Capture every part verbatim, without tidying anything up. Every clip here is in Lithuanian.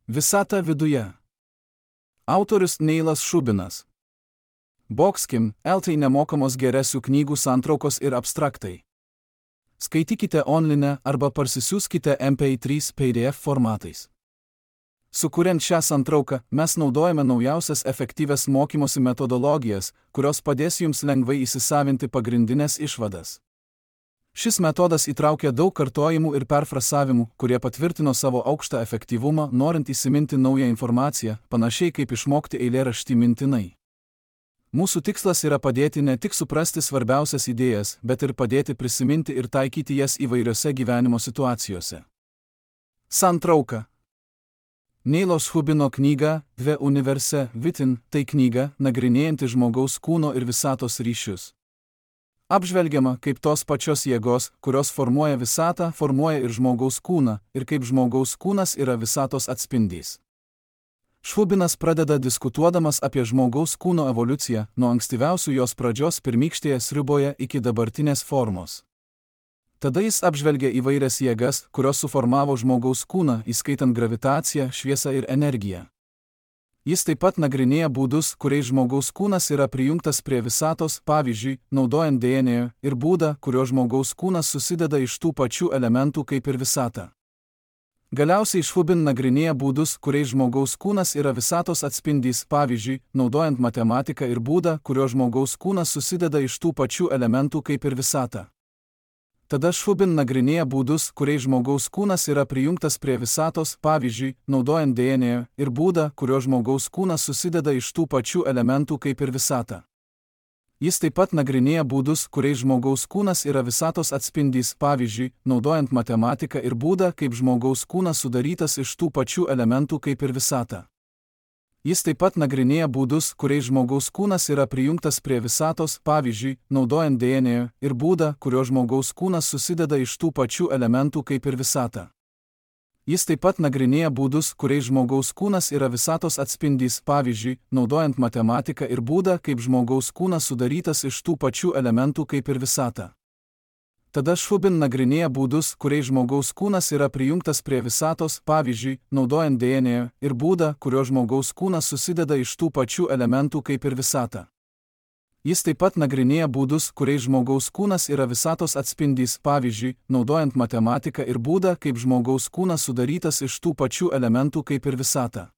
Visata viduje. Autorius Neilas Šubinas. Boxkim, L T nemokamos geresių knygų santraukos ir abstraktai. Skaitykite online arba parsisiųskite M P trys P D F formatais. Sukuriant šią santrauką, mes naudojame naujausias efektyvias mokymosi metodologijas, kurios padės jums lengvai įsisavinti pagrindinės išvadas. Šis metodas įtraukia daug kartojimų ir perfrasavimų, kurie patvirtino savo aukštą efektyvumą, norint įsiminti naują informaciją, panašiai kaip išmokti eilėraštį mintinai. Mūsų tikslas yra padėti ne tik suprasti svarbiausias idėjas, bet ir padėti prisiminti ir taikyti jas įvairiose gyvenimo situacijose. Santrauka. Neilo Šubino knyga The Universe Within – tai knyga, nagrinėjanti žmogaus kūno ir visatos ryšius. Apžvelgiama, kaip tos pačios jėgos, kurios formuoja visatą, formuoja ir žmogaus kūną, ir kaip žmogaus kūnas yra visatos atspindys. Šubinas pradeda diskutuodamas apie žmogaus kūno evoliuciją nuo ankstyviausių jos pradžios pirmykštėje sriuboje iki dabartinės formos. Tada jis apžvelgia įvairias jėgas, kurios suformavo žmogaus kūną, įskaitant gravitaciją, šviesą ir energiją. Jis taip pat nagrinėja būdus, kuriais žmogaus kūnas yra prijungtas prie visatos, pavyzdžiui, naudojant D N A, ir būdą, kurio žmogaus kūnas susideda iš tų pačių elementų kaip ir visata. Galiausiai Šubin nagrinėja būdus, kuriais žmogaus kūnas yra visatos atspindys, pavyzdžiui, naudojant matematiką ir būdą, kurio žmogaus kūnas susideda iš tų pačių elementų kaip ir visata. Tada Šubin nagrinėja būdus, kuriais žmogaus kūnas yra prijungtas prie visatos, pavyzdžiui, naudojant D N A, ir būdą, kurio žmogaus kūnas susideda iš tų pačių elementų kaip ir visata. Jis taip pat nagrinėja būdus, kuriais žmogaus kūnas yra visatos atspindys, pavyzdžiui, naudojant matematiką ir būdą, kaip žmogaus kūnas sudarytas iš tų pačių elementų kaip ir visata. Jis taip pat nagrinėja būdus, kuriais žmogaus kūnas yra prijungtas prie visatos, pavyzdžiui, naudojant D N A, ir būdą, kurio žmogaus kūnas susideda iš tų pačių elementų kaip ir visata. Jis taip pat nagrinėja būdus, kuriais žmogaus kūnas yra visatos atspindys, pavyzdžiui, naudojant matematiką ir būdą, kaip žmogaus kūnas sudarytas iš tų pačių elementų kaip ir visata. Tada Šubin nagrinėja būdus, kuriais žmogaus kūnas yra prijungtas prie visatos, pavyzdžiui, naudojant D N A, ir būdą, kurio žmogaus kūnas susideda iš tų pačių elementų kaip ir visata. Jis taip pat nagrinėja būdus, kuriais žmogaus kūnas yra visatos atspindys, pavyzdžiui, naudojant matematiką ir būdą, kaip žmogaus kūnas sudarytas iš tų pačių elementų kaip ir visata.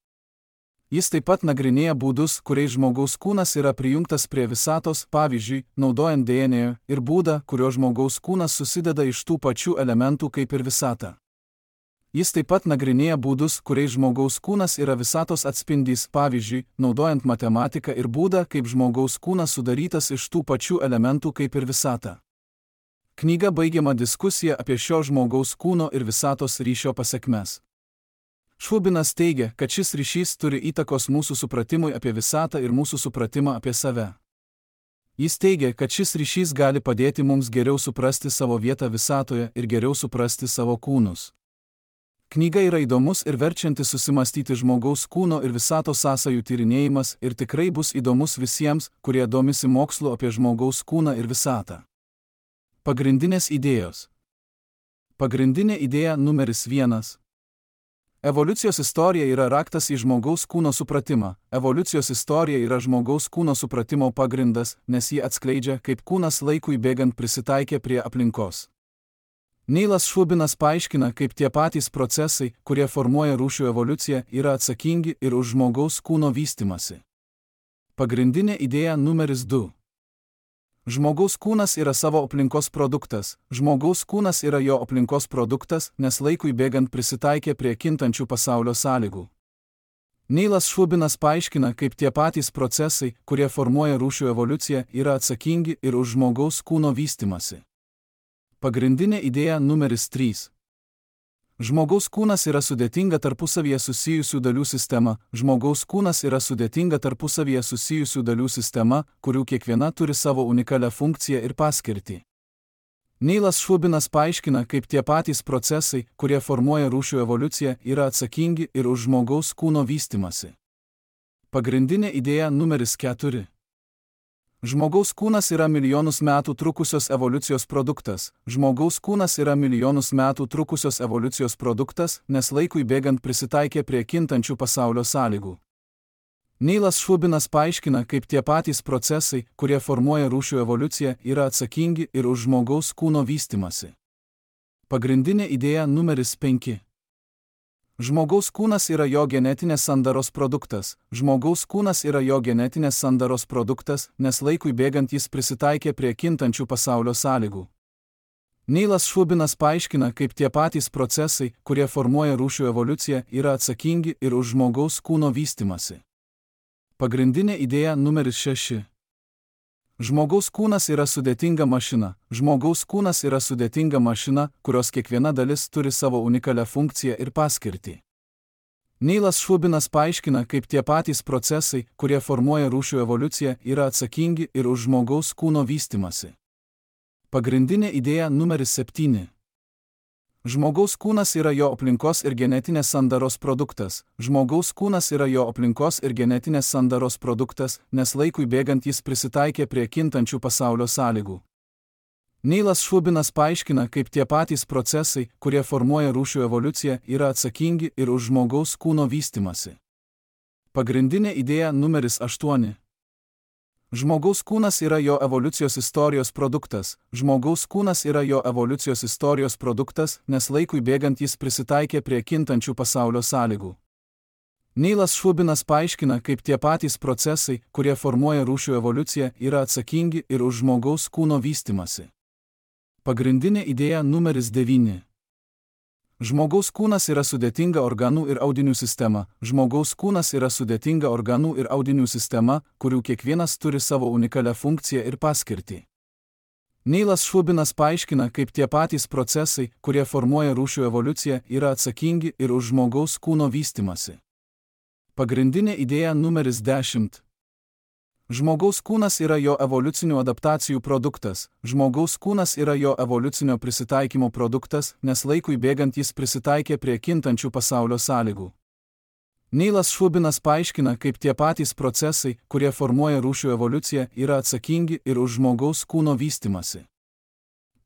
Jis taip pat nagrinėja būdus, kuriais žmogaus kūnas yra prijungtas prie visatos, pavyzdžiui, naudojant D N A, ir būdą, kurio žmogaus kūnas susideda iš tų pačių elementų kaip ir visata. Jis taip pat nagrinėja būdus, kuriais žmogaus kūnas yra visatos atspindys, pavyzdžiui, naudojant matematiką ir būdą, kaip žmogaus kūnas sudarytas iš tų pačių elementų kaip ir visata. Knyga baigiama diskusija apie šio žmogaus kūno ir visatos ryšio pasekmes. Šubinas teigia, kad šis ryšys turi įtakos mūsų supratimui apie visatą ir mūsų supratimą apie save. Jis teigia, kad šis ryšys gali padėti mums geriau suprasti savo vietą visatoje ir geriau suprasti savo kūnus. Knyga yra įdomus ir verčiantis susimastyti žmogaus kūno ir visatos sąsajų tyrinėjimas ir tikrai bus įdomus visiems, kurie domisi mokslu apie žmogaus kūną ir visatą. Pagrindinės idėjos. Pagrindinė idėja numeris vienas. Evoliucijos istorija yra raktas į žmogaus kūno supratimą. Evoliucijos istorija yra žmogaus kūno supratimo pagrindas, nes ji atskleidžia, kaip kūnas laikui bėgant prisitaikė prie aplinkos. Neilas Šubinas paaiškina, kaip tie patys procesai, kurie formuoja rūšių evoliuciją, yra atsakingi ir už žmogaus kūno vystymasi. Pagrindinė idėja numeris du. Žmogaus kūnas yra savo aplinkos produktas. Žmogaus kūnas yra jo aplinkos produktas, nes laikui bėgant prisitaikė prie kintančių pasaulio sąlygų. Neilas Šubinas paaiškina, kaip tie patys procesai, kurie formuoja rūšių evoliuciją, yra atsakingi ir už žmogaus kūno vystymasi. Pagrindinė idėja numeris trys. Žmogaus kūnas yra sudėtinga tarpusavyje susijusių dalių sistema. Žmogaus kūnas yra sudėtinga tarpusavyje susijusių dalių sistema, kurių kiekviena turi savo unikalią funkciją ir paskirtį. Neilas Šubinas paaiškina, kaip tie patys procesai, kurie formuoja rūšių evoliuciją, yra atsakingi ir už žmogaus kūno vystymasi. Pagrindinė idėja numeris keturi. Žmogaus kūnas yra milijonus metų trukusios evoliucijos produktas. Žmogaus kūnas yra milijonus metų trukusios evoliucijos produktas, nes laikui bėgant prisitaikė prie kintančių pasaulio sąlygų. Neilas Šubinas paaiškina, kaip tie patys procesai, kurie formuoja rūšių evoliuciją, yra atsakingi ir už žmogaus kūno vystymąsi. Pagrindinė idėja numeris penki. Žmogaus kūnas yra jo genetinės sandaros produktas. Žmogaus kūnas yra jo genetinės sandaros produktas, nes laikui bėgant jis prisitaikė prie kintančių pasaulio sąlygų. Neilas Šubinas paaiškina, kaip tie patys procesai, kurie formuoja rūšių evoliuciją, yra atsakingi ir už žmogaus kūno vystymąsi. Pagrindinė idėja numeris šeši. Žmogaus kūnas yra sudėtinga mašina. Žmogaus kūnas yra sudėtinga mašina, kurios kiekviena dalis turi savo unikalią funkciją ir paskirtį. Neilas Šubinas paaiškina, kaip tie patys procesai, kurie formuoja rūšių evoliuciją, yra atsakingi ir už žmogaus kūno vystymąsi. Pagrindinė idėja numeris septyni. Žmogaus kūnas yra jo aplinkos ir genetinės sandaros produktas. Žmogaus kūnas yra jo aplinkos ir genetinės sandaros produktas, nes laikui bėgant jis prisitaikė prie kintančių pasaulio sąlygų. Neilas Šubinas paaiškina, kaip tie patys procesai, kurie formuoja rūšių evoliuciją, yra atsakingi ir už žmogaus kūno vystymąsi. Pagrindinė idėja numeris aštuoni. Žmogaus kūnas yra jo evoliucijos istorijos produktas. Žmogaus kūnas yra jo evoliucijos istorijos produktas, nes laikui bėgant jis prisitaikė prie kintančių pasaulio sąlygų. Neilas Šubinas paaiškina, kaip tie patys procesai, kurie formuoja rūšių evoliuciją, yra atsakingi ir už žmogaus kūno vystymąsi. Pagrindinė idėja numeris devyni. Žmogaus kūnas yra sudėtinga organų ir audinių sistema. Žmogaus kūnas yra sudėtinga organų ir audinių sistema, kurių kiekvienas turi savo unikalią funkciją ir paskirtį. Neilas Šubinas paaiškina, kaip tie patys procesai, kurie formuoja rūšių evoliuciją, yra atsakingi ir už žmogaus kūno vystymąsi. Pagrindinė idėja numeris dešimt. Žmogaus kūnas yra jo evoliucinių adaptacijų produktas. Žmogaus kūnas yra jo evoliucinio prisitaikymo produktas, nes laikui bėgant jis prisitaikė prie kintančių pasaulio sąlygų. Neilas Šubinas paaiškina, kaip tie patys procesai, kurie formuoja rūšių evoliuciją, yra atsakingi ir už žmogaus kūno vystymąsi.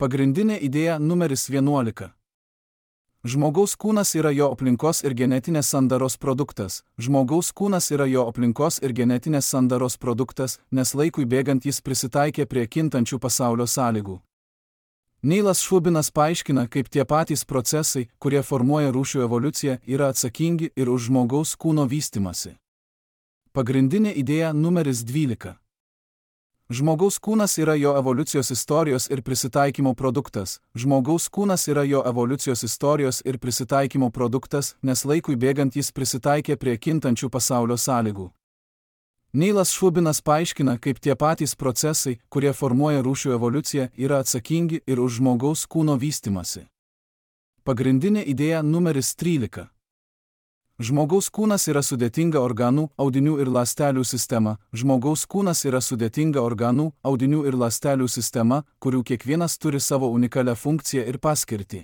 Pagrindinė idėja numeris vienuolika. Žmogaus kūnas yra jo aplinkos ir genetinės sandaros produktas. Žmogaus kūnas yra jo aplinkos ir genetinės sandaros produktas, nes laikui bėgant jis prisitaikė prie kintančių pasaulio sąlygų. Neilas Šubinas paaiškina, kaip tie patys procesai, kurie formuoja rūšių evoliuciją, yra atsakingi ir už žmogaus kūno vystymąsi. Pagrindinė idėja numeris dvylika. Žmogaus kūnas yra jo evoliucijos istorijos ir prisitaikymo produktas. Žmogaus kūnas yra jo evoliucijos istorijos ir prisitaikymo produktas, nes laikui bėgant jis prisitaikė prie kintančių pasaulio sąlygų. Neilas Šubinas paaiškina, kaip tie patys procesai, kurie formuoja rūšių evoliuciją, yra atsakingi ir už žmogaus kūno vystymąsi. Pagrindinė idėja numeris trylika. Žmogaus kūnas yra sudėtinga organų, audinių ir ląstelių sistema. Žmogaus kūnas yra sudėtinga organų, audinių ir ląstelių sistema, kurių kiekvienas turi savo unikalią funkciją ir paskirtį.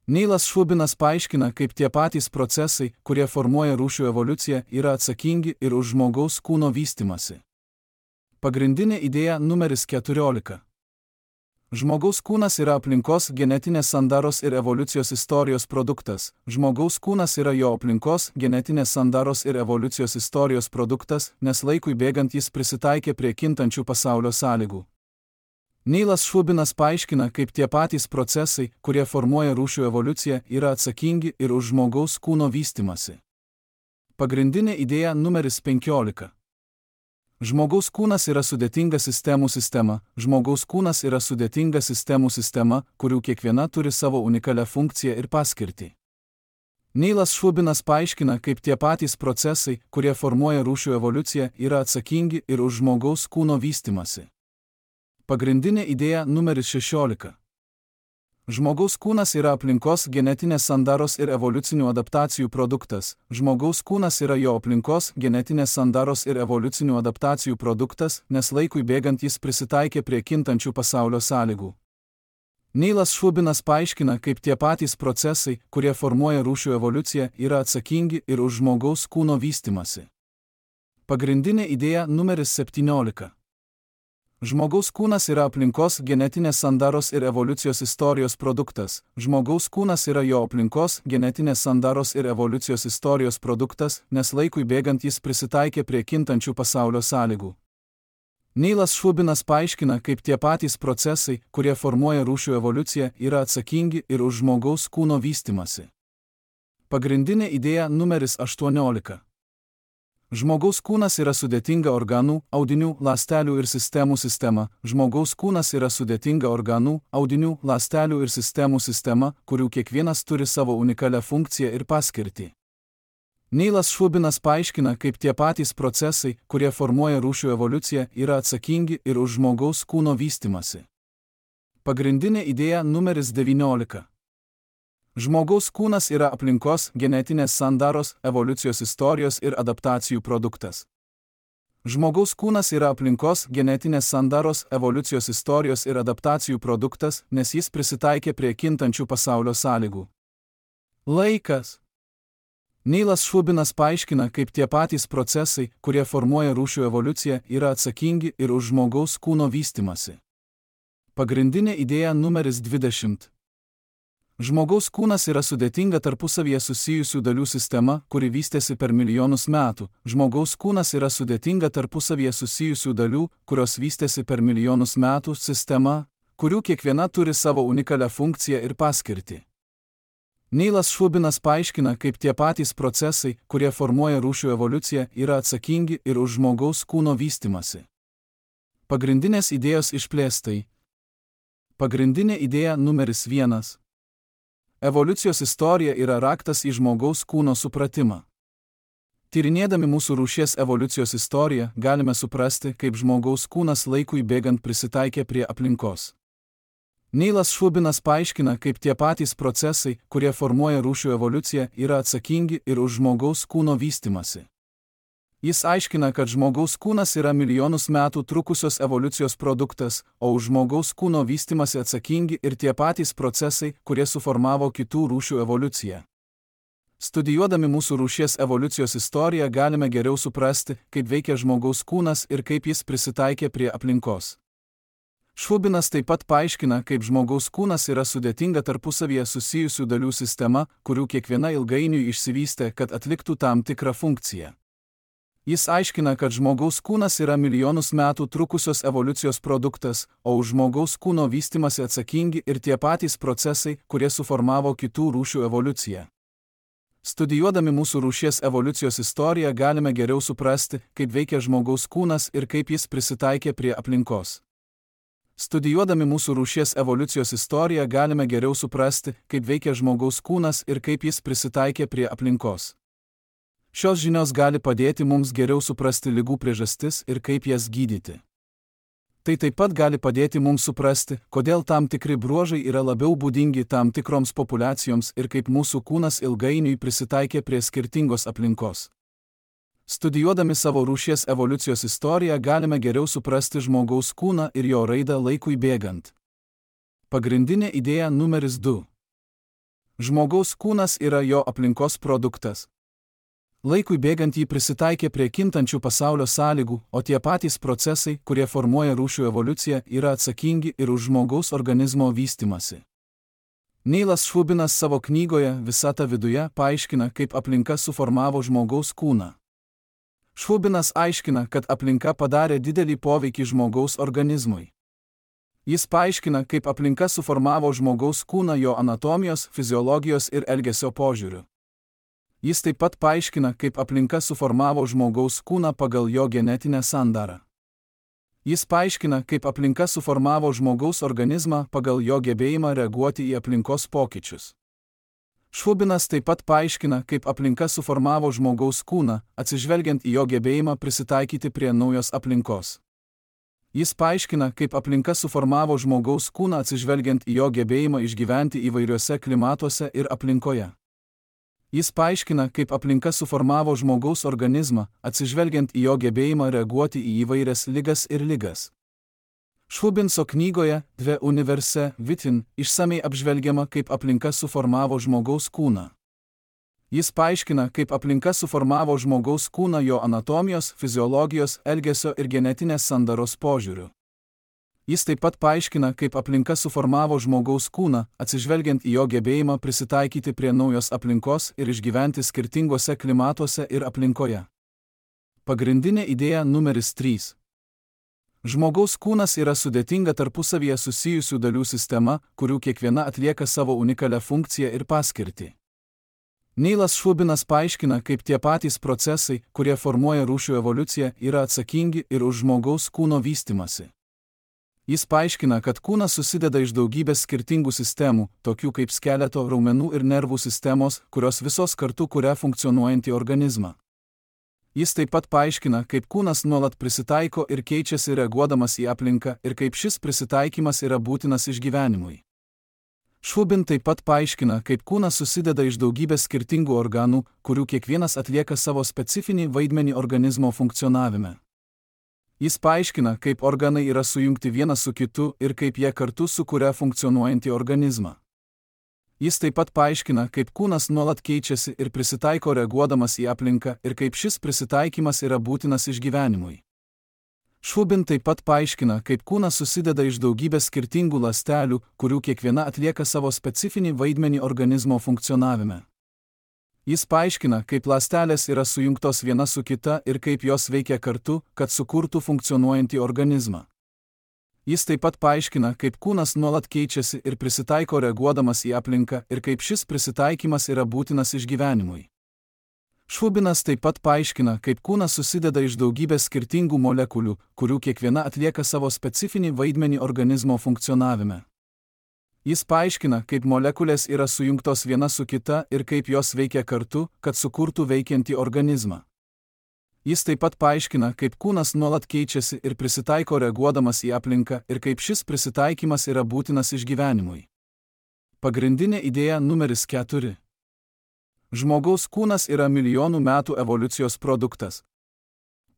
Neilas Šubinas paaiškina, kaip tie patys procesai, kurie formuoja rūšių evoliuciją, yra atsakingi ir už žmogaus kūno vystymąsi. Pagrindinė idėja numeris keturiolika. Žmogaus kūnas yra aplinkos, genetinės sandaros ir evoliucijos istorijos produktas. Žmogaus kūnas yra jo aplinkos, genetinės sandaros ir evoliucijos istorijos produktas, nes laikui bėgant jis prisitaikė prie kintančių pasaulio sąlygų. Neilas Šubinas paaiškina, kaip tie patys procesai, kurie formuoja rūšių evoliuciją, yra atsakingi ir už žmogaus kūno vystymąsi. Pagrindinė idėja numeris penkiolika. Žmogaus kūnas yra sudėtinga sistemų sistema. Žmogaus kūnas yra sudėtinga sistemų sistema, kurių kiekviena turi savo unikalią funkciją ir paskirtį. Neilas Šubinas paaiškina, kaip tie patys procesai, kurie formuoja rūšių evoliuciją, yra atsakingi ir už žmogaus kūno vystymąsi. Pagrindinė idėja numeris šešiolika. Žmogaus kūnas yra aplinkos, genetinės sandaros ir evoliucinių adaptacijų produktas. Žmogaus kūnas yra jo aplinkos, genetinės sandaros ir evoliucinių adaptacijų produktas, nes laikui bėgant jis prisitaikė prie kintančių pasaulio sąlygų. Neilas Šubinas paaiškina, kaip tie patys procesai, kurie formuoja rūšių evoliuciją, yra atsakingi ir už žmogaus kūno vystymąsi. Pagrindinė idėja numeris septyniolika. Žmogaus kūnas yra aplinkos, genetinės sandaros ir evoliucijos istorijos produktas. Žmogaus kūnas yra jo aplinkos, genetinės sandaros ir evoliucijos istorijos produktas, nes laikui bėgant jis prisitaikė prie kintančių pasaulio sąlygų. Neilas Šubinas paaiškina, kaip tie patys procesai, kurie formuoja rūšių evoliuciją, yra atsakingi ir už žmogaus kūno vystymąsi. Pagrindinė idėja numeris aštuoniolika. Žmogaus kūnas yra sudėtinga organų, audinių, ląstelių ir sistemų sistema. Žmogaus kūnas yra sudėtinga organų, audinių, ląstelių ir sistemų sistema, kurių kiekvienas turi savo unikalią funkciją ir paskirtį. Neilas Šubinas paaiškina, kaip tie patys procesai, kurie formuoja rūšių evoliuciją, yra atsakingi ir už žmogaus kūno vystymąsi. Pagrindinė idėja numeris devyniolika. Žmogaus kūnas yra aplinkos, genetinės sandaros, evoliucijos istorijos ir adaptacijų produktas. Žmogaus kūnas yra aplinkos, genetinės sandaros, evoliucijos istorijos ir adaptacijų produktas, nes jis prisitaikė prie kintančių pasaulio sąlygų. Laikas. Neilas Šubinas paaiškina, kaip tie patys procesai, kurie formuoja rūšių evoliuciją, yra atsakingi ir už žmogaus kūno vystymąsi. Pagrindinė idėja numeris dvidešimt. Žmogaus kūnas yra sudėtinga tarpusavyje susijusių dalių sistema, kuri vystėsi per milijonus metų. Žmogaus kūnas yra sudėtinga tarpusavyje susijusių dalių, kurios vystėsi per milijonus metų sistema, kurių kiekviena turi savo unikalią funkciją ir paskirtį. Neilas Šubinas paaiškina, kaip tie patys procesai, kurie formuoja rūšių evoliuciją, yra atsakingi ir už žmogaus kūno vystymąsi. Pagrindinės idėjos išplėstai. Pagrindinė idėja numeris vienas. Evoliucijos istorija yra raktas į žmogaus kūno supratimą. Tyrinėdami mūsų rūšies evoliucijos istoriją, galime suprasti, kaip žmogaus kūnas laikui bėgant prisitaikė prie aplinkos. Neilas Šubinas paaiškina, kaip tie patys procesai, kurie formuoja rūšių evoliuciją, yra atsakingi ir už žmogaus kūno vystymąsi. Jis aiškina, kad žmogaus kūnas yra milijonus metų trukusios evoliucijos produktas, o už žmogaus kūno vystymąsi atsakingi ir tie patys procesai, kurie suformavo kitų rūšių evoliuciją. Studijuodami mūsų rūšies evoliucijos istoriją galime geriau suprasti, kaip veikia žmogaus kūnas ir kaip jis prisitaikė prie aplinkos. Šubinas taip pat paaiškina, kaip žmogaus kūnas yra sudėtinga tarpusavyje susijusių dalių sistema, kurių kiekviena ilgainiui išsivystė, kad atliktų tam tikrą funkciją. Jis aiškina, kad žmogaus kūnas yra milijonus metų trukusios evoliucijos produktas, o už žmogaus kūno vystymąsi atsakingi ir tie patys procesai, kurie suformavo kitų rūšių evoliuciją. Studijuodami mūsų rūšies evoliucijos istoriją galime geriau suprasti, kaip veikia žmogaus kūnas ir kaip jis prisitaikė prie aplinkos. Studijuodami mūsų rūšies evoliucijos istoriją galime geriau suprasti, kaip veikia žmogaus kūnas ir kaip jis prisitaikė prie aplinkos. Šios žinios gali padėti mums geriau suprasti ligų priežastis ir kaip jas gydyti. Tai taip pat gali padėti mums suprasti, kodėl tam tikri bruožai yra labiau būdingi tam tikroms populiacijoms ir kaip mūsų kūnas ilgainiui prisitaikė prie skirtingos aplinkos. Studijuodami savo rūšies evoliucijos istoriją galime geriau suprasti žmogaus kūną ir jo raidą laikui bėgant. Pagrindinė idėja numeris du. Žmogaus kūnas yra jo aplinkos produktas. Laikui bėgant jį prisitaikė prie kintančių pasaulio sąlygų, o tie patys procesai, kurie formuoja rūšių evoliuciją, yra atsakingi ir už žmogaus organizmo vystymąsi. Neilas Šubinas savo knygoje Visata viduje paaiškina, kaip aplinka suformavo žmogaus kūną. Šubinas aiškina, kad aplinka padarė didelį poveikį žmogaus organizmui. Jis paaiškina, kaip aplinka suformavo žmogaus kūną jo anatomijos, fiziologijos ir elgesio požiūriu. Jis taip pat paaiškina, kaip aplinka suformavo žmogaus kūną pagal jo genetinę sandarą. Jis paaiškina, kaip aplinka suformavo žmogaus organizmą pagal jo gebėjimą reaguoti į aplinkos pokyčius. Šubinas taip pat paaiškina, kaip aplinka suformavo žmogaus kūną, atsižvelgiant į jo gebėjimą prisitaikyti prie naujos aplinkos. Jis paaiškina, kaip aplinka suformavo žmogaus kūną atsižvelgiant į jo gebėjimą išgyventi įvairiuose klimatuose ir aplinkoje. Jis paaiškina, kaip aplinka suformavo žmogaus organizmą, atsižvelgiant į jo gebėjimą reaguoti į įvairias ligas ir ligas. Šubinso knygoje Dve universe vitin išsamei apžvelgiama, kaip aplinka suformavo žmogaus kūną. Jis paaiškina, kaip aplinka suformavo žmogaus kūną jo anatomijos, fiziologijos, elgesio ir genetinės sandaros požiūriu. Jis taip pat paaiškina, kaip aplinka suformavo žmogaus kūną, atsižvelgiant į jo gebėjimą prisitaikyti prie naujos aplinkos ir išgyventi skirtingose klimatuose ir aplinkoje. Pagrindinė idėja numeris trys. Žmogaus kūnas yra sudėtinga tarpusavyje susijusių dalių sistema, kurių kiekviena atlieka savo unikalią funkciją ir paskirtį. Neilas Šubinas paaiškina, kaip tie patys procesai, kurie formuoja rūšių evoliuciją, yra atsakingi ir už žmogaus kūno vystimasi. Jis paaiškina, kad kūnas susideda iš daugybės skirtingų sistemų, tokių kaip skeleto, raumenų ir nervų sistemos, kurios visos kartu kuria funkcionuojantį organizmą. Jis taip pat paaiškina, kaip kūnas nuolat prisitaiko ir keičiasi reaguodamas į aplinką ir kaip šis prisitaikymas yra būtinas išgyvenimui. Šubin taip pat paaiškina, kaip kūnas susideda iš daugybės skirtingų organų, kurių kiekvienas atlieka savo specifinį vaidmenį organizmo funkcionavime. Jis paaiškina, kaip organai yra sujungti vienas su kitu ir kaip jie kartu sukuria funkcionuojantį organizmą. Jis taip pat paaiškina, kaip kūnas nuolat keičiasi ir prisitaiko reaguodamas į aplinką ir kaip šis prisitaikymas yra būtinas išgyvenimui. Šubin taip pat paaiškina, kaip kūnas susideda iš daugybės skirtingų ląstelių, kurių kiekviena atlieka savo specifinį vaidmenį organizmo funkcionavime. Jis paaiškina, kaip ląstelės yra sujungtos viena su kita ir kaip jos veikia kartu, kad sukurtų funkcionuojantį organizmą. Jis taip pat paaiškina, kaip kūnas nuolat keičiasi ir prisitaiko reaguodamas į aplinką ir kaip šis prisitaikymas yra būtinas išgyvenimui. Šubinas taip pat paaiškina, kaip kūnas susideda iš daugybės skirtingų molekulių, kurių kiekviena atlieka savo specifinį vaidmenį organizmo funkcionavime. Jis paaiškina, kaip molekulės yra sujungtos viena su kita ir kaip jos veikia kartu, kad sukurtų veikiantį organizmą. Jis taip pat paaiškina, kaip kūnas nuolat keičiasi ir prisitaiko reaguodamas į aplinką ir kaip šis prisitaikymas yra būtinas išgyvenimui. Pagrindinė idėja numeris keturi. Žmogaus kūnas yra milijonų metų evoliucijos produktas.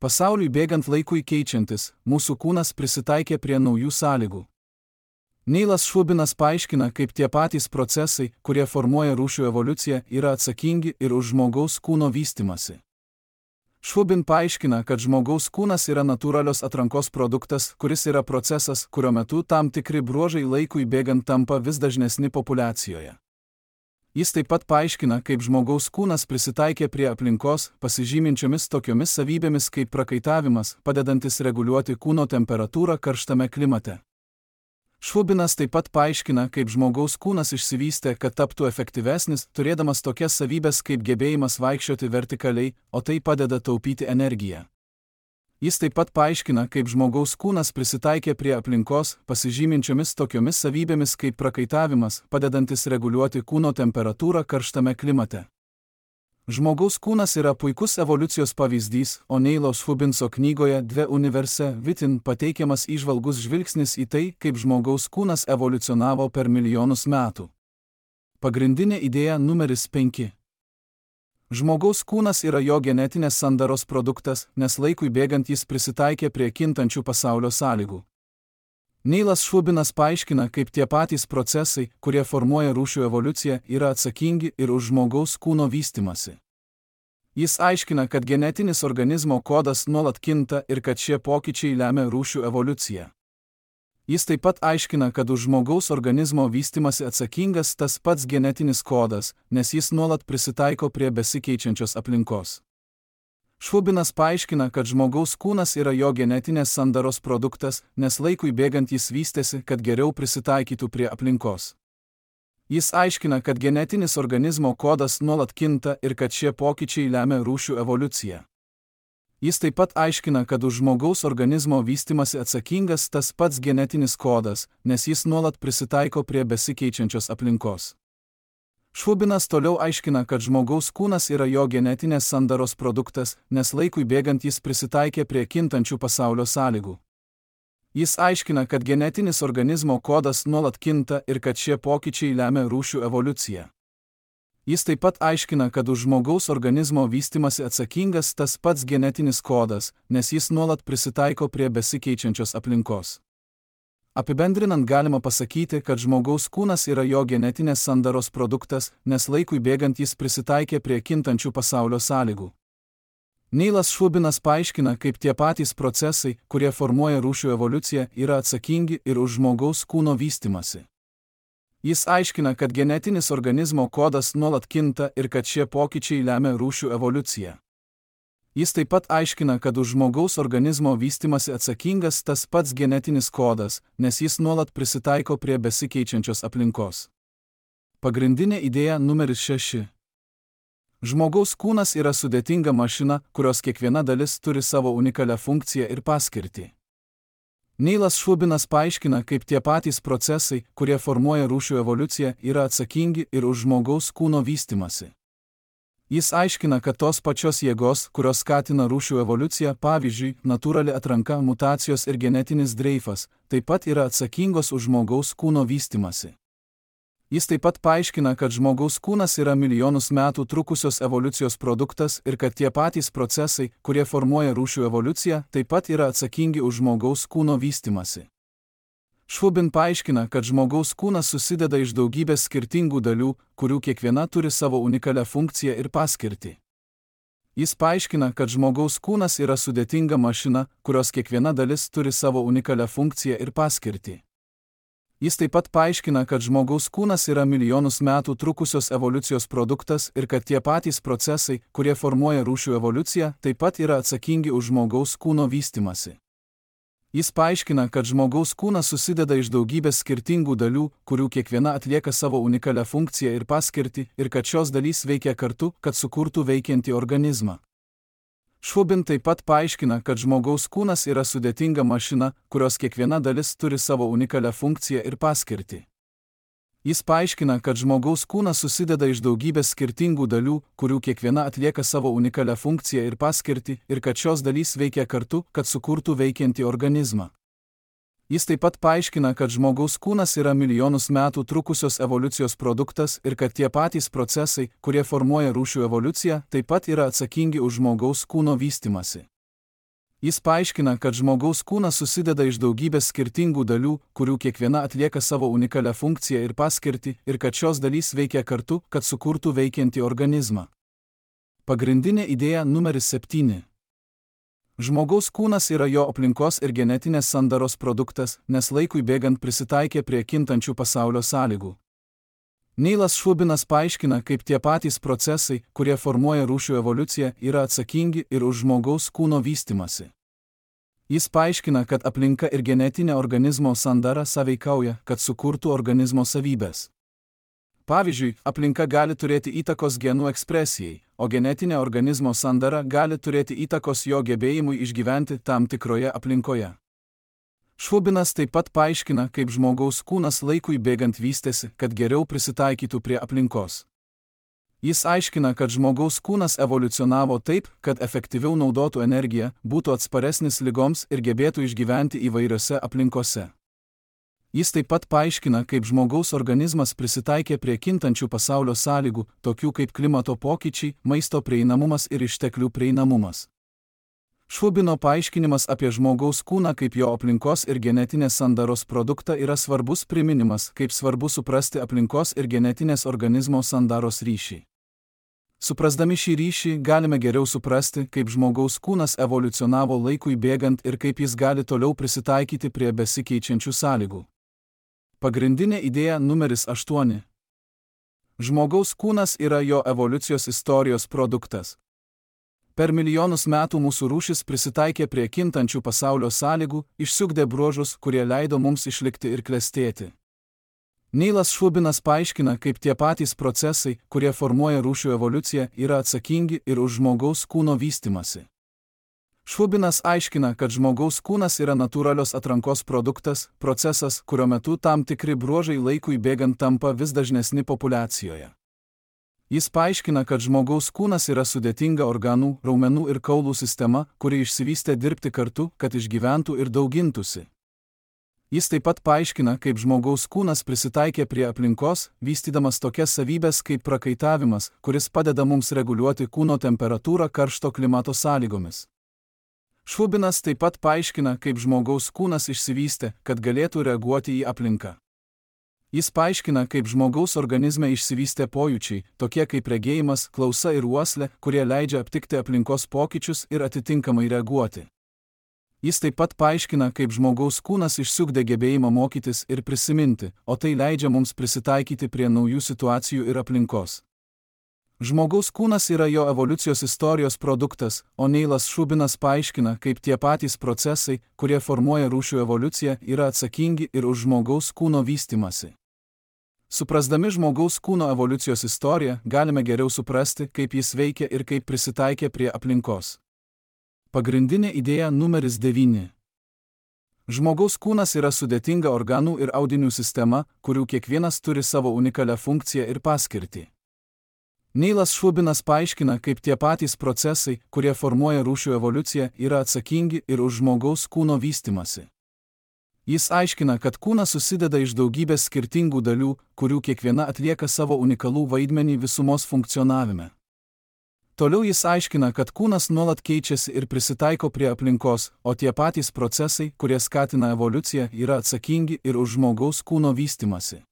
Pasauliui bėgant laikui keičiantis, mūsų kūnas prisitaikė prie naujų sąlygų. Neilas Šubinas paaiškina, kaip tie patys procesai, kurie formuoja rūšių evoliuciją, yra atsakingi ir už žmogaus kūno vystimasi. Šubin paaiškina, kad žmogaus kūnas yra natūralios atrankos produktas, kuris yra procesas, kurio metu tam tikri bruožai laikui bėgant tampa vis dažnesni populiacijoje. Jis taip pat paaiškina, kaip žmogaus kūnas prisitaikė prie aplinkos, pasižyminčiomis tokiomis savybėmis kaip prakaitavimas, padedantis reguliuoti kūno temperatūrą karštame klimate. Šubinas taip pat paaiškina, kaip žmogaus kūnas išsivystė, kad taptų efektyvesnis, turėdamas tokias savybės kaip gebėjimas vaikščioti vertikaliai, o tai padeda taupyti energiją. Jis taip pat paaiškina, kaip žmogaus kūnas prisitaikė prie aplinkos, pasižyminčiomis tokiomis savybėmis kaip prakaitavimas, padedantis reguliuoti kūno temperatūrą karštame klimate. Žmogaus kūnas yra puikus evoliucijos pavyzdys, o Neilo Šubinso knygoje Dve universe vitin pateikiamas įžvalgus žvilgsnis į tai, kaip žmogaus kūnas evoliucionavo per milijonus metų. Pagrindinė idėja numeris penki. Žmogaus kūnas yra jo genetinės sandaros produktas, nes laikui bėgant jis prisitaikė prie kintančių pasaulio sąlygų. Neilas Šubinas paaiškina, kaip tie patys procesai, kurie formuoja rūšių evoliuciją, yra atsakingi ir už žmogaus kūno vystimasi. Jis aiškina, kad genetinis organizmo kodas nuolat kinta ir kad šie pokyčiai lemia rūšių evoliuciją. Jis taip pat aiškina, kad už žmogaus organizmo vystimasi atsakingas tas pats genetinis kodas, nes jis nuolat prisitaiko prie besikeičiančios aplinkos. Šubinas paaiškina, kad žmogaus kūnas yra jo genetinės sandaros produktas, nes laikui bėgant jis vystėsi, kad geriau prisitaikytų prie aplinkos. Jis aiškina, kad genetinis organizmo kodas nuolat kinta ir kad šie pokyčiai lemia rūšių evoliuciją. Jis taip pat aiškina, kad už žmogaus organizmo vystimasi atsakingas tas pats genetinis kodas, nes jis nuolat prisitaiko prie besikeičiančios aplinkos. Šubinas toliau aiškina, kad žmogaus kūnas yra jo genetinės sandaros produktas, nes laikui bėgant jis prisitaikė prie kintančių pasaulio sąlygų. Jis aiškina, kad genetinis organizmo kodas nuolat kinta ir kad šie pokyčiai lemia rūšių evoliuciją. Jis taip pat aiškina, kad už žmogaus organizmo vystimasi atsakingas tas pats genetinis kodas, nes jis nuolat prisitaiko prie besikeičiančios aplinkos. Apibendrinant galima pasakyti, kad žmogaus kūnas yra jo genetinės sandaros produktas, nes laikui bėgant jis prisitaikė prie kintančių pasaulio sąlygų. Neilas Šubinas paaiškina, kaip tie patys procesai, kurie formuoja rūšių evoliuciją, yra atsakingi ir už žmogaus kūno vystimasi. Jis aiškina, kad genetinis organizmo kodas nuolat kinta ir kad šie pokyčiai lemia rūšių evoliuciją. Jis taip pat aiškina, kad už žmogaus organizmo vystimasi atsakingas tas pats genetinis kodas, nes jis nuolat prisitaiko prie besikeičiančios aplinkos. Pagrindinė idėja numeris šeši. Žmogaus kūnas yra sudėtinga mašina, kurios kiekviena dalis turi savo unikalią funkciją ir paskirtį. Neilas Šubinas paaiškina, kaip tie patys procesai, kurie formuoja rūšių evoliuciją, yra atsakingi ir už žmogaus kūno vystimasi. Jis aiškina, kad tos pačios jėgos, kurios skatina rūšių evoliuciją, pavyzdžiui, natūrali atranka, mutacijos ir genetinis dreifas, taip pat yra atsakingos už žmogaus kūno vystimasi. Jis taip pat paaiškina, kad žmogaus kūnas yra milijonus metų trukusios evoliucijos produktas ir kad tie patys procesai, kurie formuoja rūšių evoliuciją, taip pat yra atsakingi už žmogaus kūno vystimasi. Šubin paaiškina, kad žmogaus kūnas susideda iš daugybės skirtingų dalių, kurių kiekviena turi savo unikalią funkciją ir paskirtį. Jis paaiškina, kad žmogaus kūnas yra sudėtinga mašina, kurios kiekviena dalis turi savo unikalią funkciją ir paskirtį. Jis taip pat paaiškina, kad žmogaus kūnas yra milijonus metų trukusios evoliucijos produktas ir kad tie patys procesai, kurie formuoja rūšių evoliuciją, taip pat yra atsakingi už žmogaus kūno vystimasi. Jis paaiškina, kad žmogaus kūnas susideda iš daugybės skirtingų dalių, kurių kiekviena atlieka savo unikalią funkciją ir paskirtį, ir kad šios dalys veikia kartu, kad sukurtų veikiantį organizmą. Šubin taip pat paaiškina, kad žmogaus kūnas yra sudėtinga mašina, kurios kiekviena dalis turi savo unikalią funkciją ir paskirtį. Jis paaiškina, kad žmogaus kūnas susideda iš daugybės skirtingų dalių, kurių kiekviena atlieka savo unikalią funkciją ir paskirtį, ir kad šios dalys veikia kartu, kad sukurtų veikiantį organizmą. Jis taip pat paaiškina, kad žmogaus kūnas yra milijonus metų trukusios evoliucijos produktas ir kad tie patys procesai, kurie formuoja rūšių evoliuciją, taip pat yra atsakingi už žmogaus kūno vystimasi. Jis paaiškina, kad žmogaus kūnas susideda iš daugybės skirtingų dalių, kurių kiekviena atlieka savo unikalią funkciją ir paskirtį, ir kad šios dalys veikia kartu, kad sukurtų veikiantį organizmą. Pagrindinė idėja numeris septyni. Žmogaus kūnas yra jo aplinkos ir genetinės sandaros produktas, nes laikui bėgant prisitaikė prie kintančių pasaulio sąlygų. Neilas Šubinas paaiškina, kaip tie patys procesai, kurie formuoja rūšių evoliuciją, yra atsakingi ir už žmogaus kūno vystimasi. Jis paaiškina, kad aplinka ir genetinė organizmo sandara sąveikauja, kad sukurtų organizmo savybės. Pavyzdžiui, aplinka gali turėti įtakos genų ekspresijai, o genetinė organizmo sandara gali turėti įtakos jo gebėjimui išgyventi tam tikroje aplinkoje. Šubinas taip pat paaiškina, kaip žmogaus kūnas laikui bėgant vystėsi, kad geriau prisitaikytų prie aplinkos. Jis aiškina, kad žmogaus kūnas evoliucionavo taip, kad efektyviau naudotų energiją, būtų atsparesnis ligoms ir gebėtų išgyventi įvairiose aplinkose. Jis taip pat paaiškina, kaip žmogaus organizmas prisitaikė prie kintančių pasaulio sąlygų, tokių kaip klimato pokyčiai, maisto prieinamumas ir išteklių prieinamumas. Šubino paaiškinimas apie žmogaus kūną kaip jo aplinkos ir genetinės sandaros produktą yra svarbus priminimas, kaip svarbu suprasti aplinkos ir genetinės organizmo sandaros ryšį. Suprasdami šį ryšį, galime geriau suprasti, kaip žmogaus kūnas evoliucionavo laikui bėgant ir kaip jis gali toliau prisitaikyti prie besikeičiančių sąlygų. Pagrindinė idėja numeris aštuoni. Žmogaus kūnas yra jo evoliucijos istorijos produktas. Per milijonus metų mūsų rūšis prisitaikė prie kintančių pasaulio sąlygų, išsiugdė bruožus, kurie leido mums išlikti ir klestėti. Neilas Šubinas paaiškina, kaip tie patys procesai, kurie formuoja rūšių evoliuciją, yra atsakingi ir už žmogaus kūno vystimasi. Šubinas aiškina, kad žmogaus kūnas yra natūralios atrankos produktas, procesas, kurio metu tam tikri bruožai laikui bėgant tampa vis dažnesni populiacijoje. Jis paaiškina, kad žmogaus kūnas yra sudėtinga organų, raumenų ir kaulų sistema, kuri išsivystė dirbti kartu, kad išgyventų ir daugintųsi. Jis taip pat paaiškina, kaip žmogaus kūnas prisitaikė prie aplinkos, vystydamas tokias savybės kaip prakaitavimas, kuris padeda mums reguliuoti kūno temperatūrą karšto klimato sąlygomis. Šubinas taip pat paaiškina, kaip žmogaus kūnas išsivystė, kad galėtų reaguoti į aplinką. Jis paaiškina, kaip žmogaus organizme išsivystė pojūčiai, tokie kaip regėjimas, klausa ir uoslė, kurie leidžia aptikti aplinkos pokyčius ir atitinkamai reaguoti. Jis taip pat paaiškina, kaip žmogaus kūnas išsiugdė gebėjimą mokytis ir prisiminti, o tai leidžia mums prisitaikyti prie naujų situacijų ir aplinkos. Žmogaus kūnas yra jo evoliucijos istorijos produktas, o Neilas Šubinas paaiškina, kaip tie patys procesai, kurie formuoja rūšių evoliuciją, yra atsakingi ir už žmogaus kūno vystymąsi. Suprasdami žmogaus kūno evoliucijos istoriją, galime geriau suprasti, kaip jis veikia ir kaip prisitaikė prie aplinkos. Pagrindinė idėja numeris devyni. Žmogaus kūnas yra sudėtinga organų ir audinių sistema, kurių kiekvienas turi savo unikalią funkciją ir paskirtį. Neilas Šubinas paaiškina, kaip tie patys procesai, kurie formuoja rūšių evoliuciją, yra atsakingi ir už žmogaus kūno vystymąsi. Jis aiškina, kad kūnas susideda iš daugybės skirtingų dalių, kurių kiekviena atlieka savo unikalų vaidmenį visumos funkcionavime. Toliau jis aiškina, kad kūnas nuolat keičiasi ir prisitaiko prie aplinkos, o tie patys procesai, kurie skatina evoliuciją, yra atsakingi ir už žmogaus kūno vystymąsi.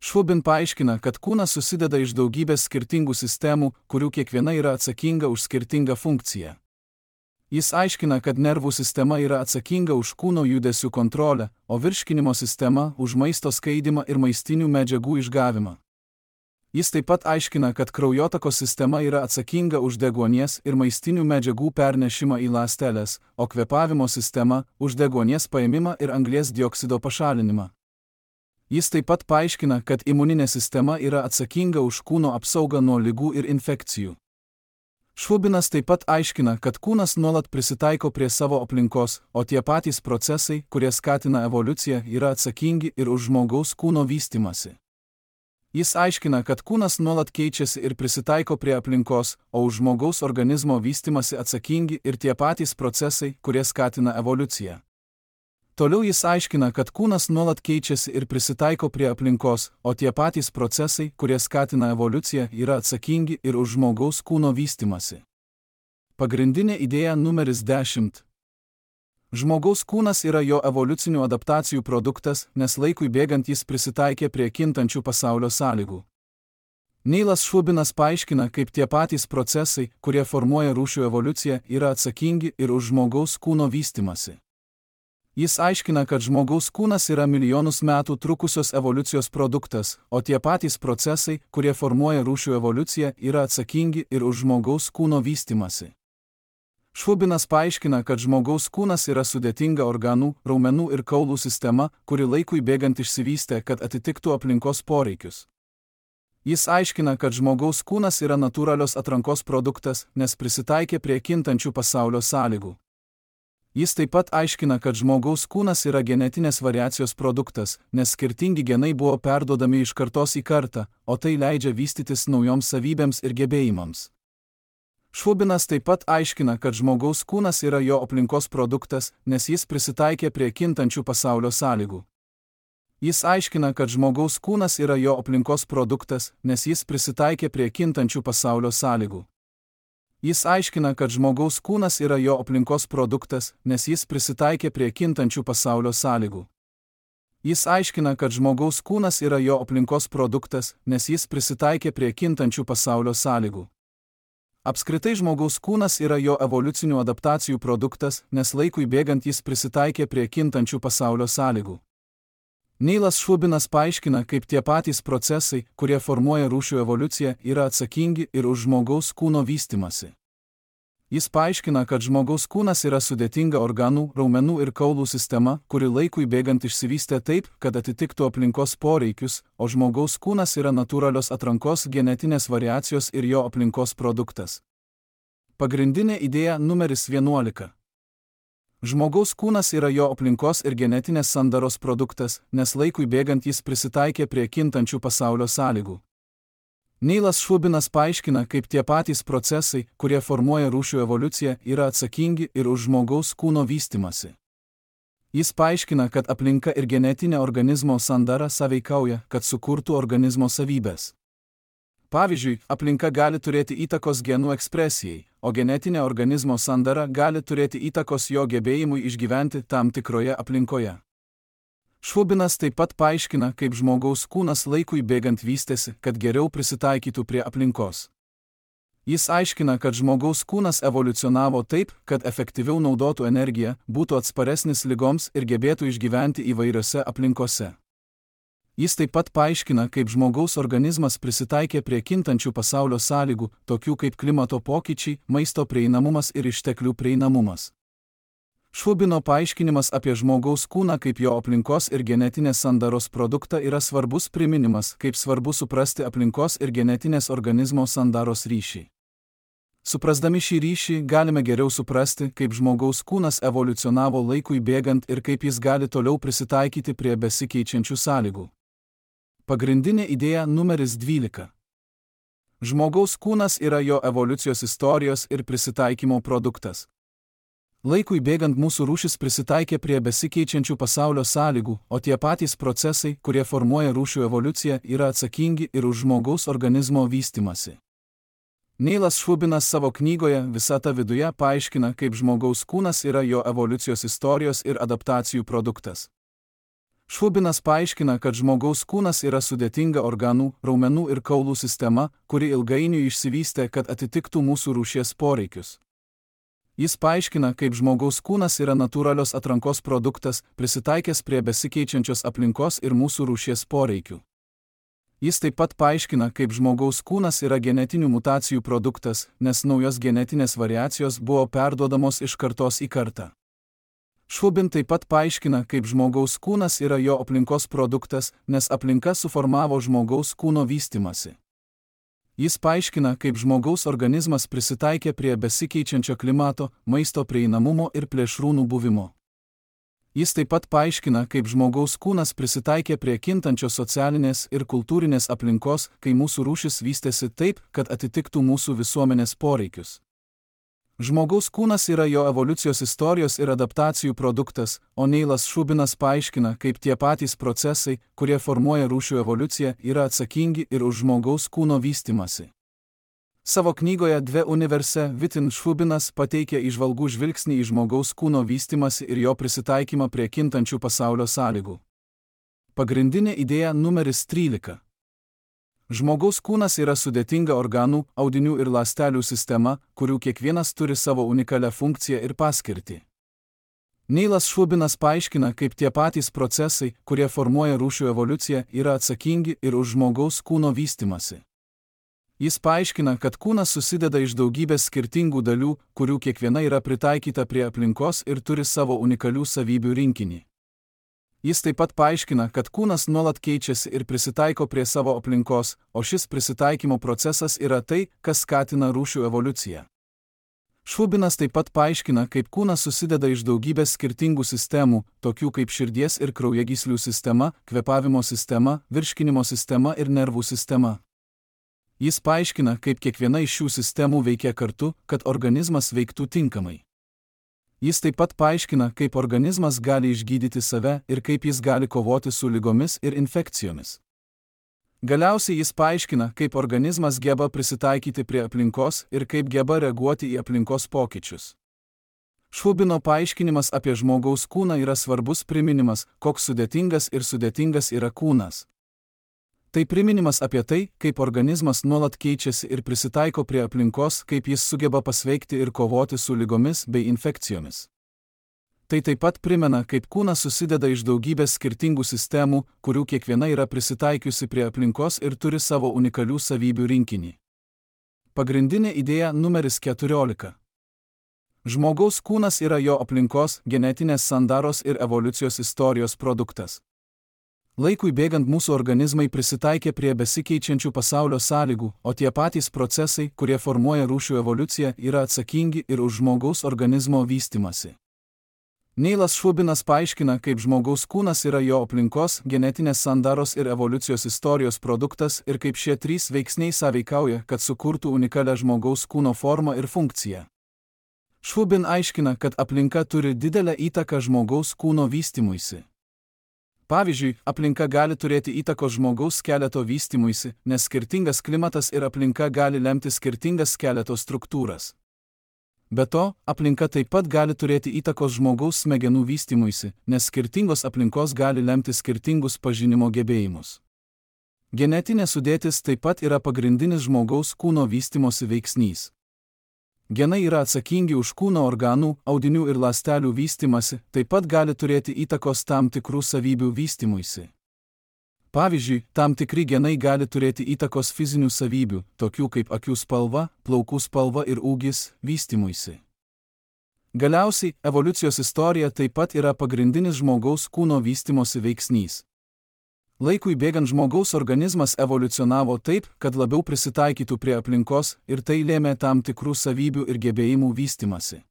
Šubin paaiškina, kad kūnas susideda iš daugybės skirtingų sistemų, kurių kiekviena yra atsakinga už skirtingą funkciją. Jis aiškina, kad nervų sistema yra atsakinga už kūno judesių kontrolę, o virškinimo sistema už maisto skaidymą ir maistinių medžiagų išgavimą. Jis taip pat aiškina, kad kraujotakos sistema yra atsakinga už deguonies ir maistinių medžiagų pernešimą į ląsteles, o kvėpavimo sistema už deguonies paėmimą ir anglies dioksido pašalinimą. Jis taip pat paaiškina, kad imuninė sistema yra atsakinga už kūno apsaugą nuo ligų ir infekcijų. Šubinas taip pat aiškina, kad kūnas nuolat prisitaiko prie savo aplinkos, o tie patys procesai, kurie skatina evoliuciją, yra atsakingi ir už žmogaus kūno vystymąsi. Jis aiškina, kad kūnas nuolat keičiasi ir prisitaiko prie aplinkos, o už žmogaus organizmo vystymąsi atsakingi ir tie patys procesai, kurie skatina evoliuciją. Toliau jis aiškina, kad kūnas nuolat keičiasi ir prisitaiko prie aplinkos, o tie patys procesai, kurie skatina evoliuciją, yra atsakingi ir už žmogaus kūno vystymąsi. Pagrindinė idėja numeris dešimt. Žmogaus kūnas yra jo evoliucinių adaptacijų produktas, nes laikui bėgant jis prisitaikė prie kintančių pasaulio sąlygų. Neilas Šubinas paaiškina, kaip tie patys procesai, kurie formuoja rūšių evoliuciją, yra atsakingi ir už žmogaus kūno vystymąsi. Jis aiškina, kad žmogaus kūnas yra milijonus metų trukusios evoliucijos produktas, o tie patys procesai, kurie formuoja rūšių evoliuciją, yra atsakingi ir už žmogaus kūno vystymąsi. Šubinas paaiškina, kad žmogaus kūnas yra sudėtinga organų, raumenų ir kaulų sistema, kuri laikui bėgant išsivystė, kad atitiktų aplinkos poreikius. Jis aiškina, kad žmogaus kūnas yra natūralios atrankos produktas, nes prisitaikė prie kintančių pasaulio sąlygų. Jis taip pat aiškina, kad žmogaus kūnas yra genetinės variacijos produktas, nes skirtingi genai buvo perduodami iš kartos į kartą, o tai leidžia vystytis naujoms savybėms ir gebėjimams. Šubinas taip pat aiškina, kad žmogaus kūnas yra jo aplinkos produktas, nes jis prisitaikė prie kintančių pasaulio sąlygų. Jis aiškina, kad žmogaus kūnas yra jo aplinkos produktas, nes jis prisitaikė prie kintančių pasaulio sąlygų. Jis aiškina, kad žmogaus kūnas yra jo aplinkos produktas, nes jis prisitaikė prie kintančių pasaulio sąlygų. Jis aiškina, kad žmogaus kūnas yra jo aplinkos produktas, nes jis prisitaikė prie kintančių pasaulio sąlygų. Apskritai žmogaus kūnas yra jo evoliucinių adaptacijų produktas, nes laikui bėgant jis prisitaikė prie kintančių pasaulio sąlygų. Neilas Šubinas paaiškina, kaip tie patys procesai, kurie formuoja rūšių evoliuciją, yra atsakingi ir už žmogaus kūno vystymąsi. Jis paaiškina, kad žmogaus kūnas yra sudėtinga organų, raumenų ir kaulų sistema, kuri laikui bėgant išsivystė taip, kad atitiktų aplinkos poreikius, o žmogaus kūnas yra natūralios atrankos genetinės variacijos ir jo aplinkos produktas. Pagrindinė idėja numeris vienuolika. Žmogaus kūnas yra jo aplinkos ir genetinės sandaros produktas, nes laikui bėgant jis prisitaikė prie kintančių pasaulio sąlygų. Neilas Šubinas paaiškina, kaip tie patys procesai, kurie formuoja rūšių evoliuciją, yra atsakingi ir už žmogaus kūno vystymąsi. Jis paaiškina, kad aplinka ir genetinė organizmo sandara sąveikauja, kad sukurtų organizmo savybės. Pavyzdžiui, aplinka gali turėti įtakos genų ekspresijai, o genetinė organizmo sandara gali turėti įtakos jo gebėjimui išgyventi tam tikroje aplinkoje. Švubinas taip pat paaiškina, kaip žmogaus kūnas laikui bėgant vystėsi, kad geriau prisitaikytų prie aplinkos. Jis aiškina, kad žmogaus kūnas evoliucionavo taip, kad efektyviau naudotų energiją, būtų atsparesnis ligoms ir gebėtų išgyventi įvairiose aplinkose. Jis taip pat paaiškina, kaip žmogaus organizmas prisitaikė prie kintančių pasaulio sąlygų, tokių kaip klimato pokyčiai, maisto prieinamumas ir išteklių prieinamumas. Švubino paaiškinimas apie žmogaus kūną kaip jo aplinkos ir genetinės sandaros produktą yra svarbus priminimas, kaip svarbu suprasti aplinkos ir genetinės organizmo sandaros ryšį. Suprasdami šį ryšį, galime geriau suprasti, kaip žmogaus kūnas evoliucionavo laikui bėgant ir kaip jis gali toliau prisitaikyti prie besikeičiančių sąlygų. Pagrindinė idėja numeris dvylika. Žmogaus kūnas yra jo evoliucijos istorijos ir prisitaikymo produktas. Laikui bėgant mūsų rūšis prisitaikė prie besikeičiančių pasaulio sąlygų, o tie patys procesai, kurie formuoja rūšių evoliuciją, yra atsakingi ir už žmogaus organizmo vystymasi. Neilas Švubinas savo knygoje Visata viduje paaiškina, kaip žmogaus kūnas yra jo evoliucijos istorijos ir adaptacijų produktas. Švubinas paaiškina, kad žmogaus kūnas yra sudėtinga organų, raumenų ir kaulų sistema, kuri ilgainiui išsivystė, kad atitiktų mūsų rūšies poreikius. Jis paaiškina, kaip žmogaus kūnas yra natūralios atrankos produktas, prisitaikęs prie besikeičiančios aplinkos ir mūsų rūšies poreikių. Jis taip pat paaiškina, kaip žmogaus kūnas yra genetinių mutacijų produktas, nes naujos genetinės variacijos buvo perduodamos iš kartos į kartą. Švubin taip pat paaiškina, kaip žmogaus kūnas yra jo aplinkos produktas, nes aplinka suformavo žmogaus kūno vystymasi. Jis paaiškina, kaip žmogaus organizmas prisitaikė prie besikeičiančio klimato, maisto prieinamumo ir plėšrūnų buvimo. Jis taip pat paaiškina, kaip žmogaus kūnas prisitaikė prie kintančios socialinės ir kultūrinės aplinkos, kai mūsų rūšis vystėsi taip, kad atitiktų mūsų visuomenės poreikius. Žmogaus kūnas yra jo evoliucijos istorijos ir adaptacijų produktas, o Neilas Švubinas paaiškina, kaip tie patys procesai, kurie formuoja rūšių evoliuciją, yra atsakingi ir už žmogaus kūno vystymasi. Savo knygoje Dve universe Vitin Švubinas pateikia įžvalgų žvilgsnį į žmogaus kūno vystymasi ir jo prisitaikymą prie kintančių pasaulio sąlygų. Pagrindinė idėja numeris trylika. Žmogaus kūnas yra sudėtinga organų, audinių ir ląstelių sistema, kurių kiekvienas turi savo unikalią funkciją ir paskirtį. Neilas Švubinas paaiškina, kaip tie patys procesai, kurie formuoja rūšių evoliuciją, yra atsakingi ir už žmogaus kūno vystymasi. Jis paaiškina, kad kūnas susideda iš daugybės skirtingų dalių, kurių kiekviena yra pritaikyta prie aplinkos ir turi savo unikalių savybių rinkinį. Jis taip pat paaiškina, kad kūnas nuolat keičiasi ir prisitaiko prie savo aplinkos, o šis prisitaikymo procesas yra tai, kas skatina rūšių evoliuciją. Švubinas taip pat paaiškina, kaip kūnas susideda iš daugybės skirtingų sistemų, tokių kaip širdies ir kraujagyslių sistema, kvėpavimo sistema, virškinimo sistema ir nervų sistema. Jis paaiškina, kaip kiekviena iš šių sistemų veikia kartu, kad organizmas veiktų tinkamai. Jis taip pat paaiškina, kaip organizmas gali išgydyti save ir kaip jis gali kovoti su ligomis ir infekcijomis. Galiausiai jis paaiškina, kaip organizmas geba prisitaikyti prie aplinkos ir kaip geba reaguoti į aplinkos pokyčius. Švubino paaiškinimas apie žmogaus kūną yra svarbus priminimas, koks sudėtingas ir sudėtingas yra kūnas. Tai priminimas apie tai, kaip organizmas nuolat keičiasi ir prisitaiko prie aplinkos, kaip jis sugeba pasveikti ir kovoti su ligomis bei infekcijomis. Tai taip pat primena, kaip kūnas susideda iš daugybės skirtingų sistemų, kurių kiekviena yra prisitaikiusi prie aplinkos ir turi savo unikalių savybių rinkinį. Pagrindinė idėja numeris keturiolika. Žmogaus kūnas yra jo aplinkos, genetinės sandaros ir evoliucijos istorijos produktas. Laikui bėgant mūsų organizmai prisitaikė prie besikeičiančių pasaulio sąlygų, o tie patys procesai, kurie formuoja rūšių evoliuciją, yra atsakingi ir už žmogaus organizmo vystymasi. Neilas Švubinas paaiškina, kaip žmogaus kūnas yra jo aplinkos, genetinės sandaros ir evoliucijos istorijos produktas ir kaip šie trys veiksniai sąveikauja, kad sukurtų unikalią žmogaus kūno formą ir funkciją. Švubin aiškina, kad aplinka turi didelę įtaką žmogaus kūno vystymuisi. Pavyzdžiui, aplinka gali turėti įtakos žmogaus skeleto vystymuisi, nes skirtingas klimatas ir aplinka gali lemti skirtingas skeleto struktūras. Be to, aplinka taip pat gali turėti įtakos žmogaus smegenų vystymuisi, nes skirtingos aplinkos gali lemti skirtingus pažinimo gebėjimus. Genetinė sudėtis taip pat yra pagrindinis žmogaus kūno vystymosi veiksnys. Genai yra atsakingi už kūno organų, audinių ir ląstelių vystymasi, taip pat gali turėti įtakos tam tikrų savybių vystymuisi. Pavyzdžiui, tam tikri genai gali turėti įtakos fizinių savybių, tokių kaip akių spalva, plaukų spalva ir ūgis, vystymuisi. Galiausiai, evoliucijos istorija taip pat yra pagrindinis žmogaus kūno vystymosi veiksnys. Laikui bėgant žmogaus organizmas evoliucionavo taip, kad labiau prisitaikytų prie aplinkos ir tai lėmė tam tikrų savybių ir gebėjimų vystymasi.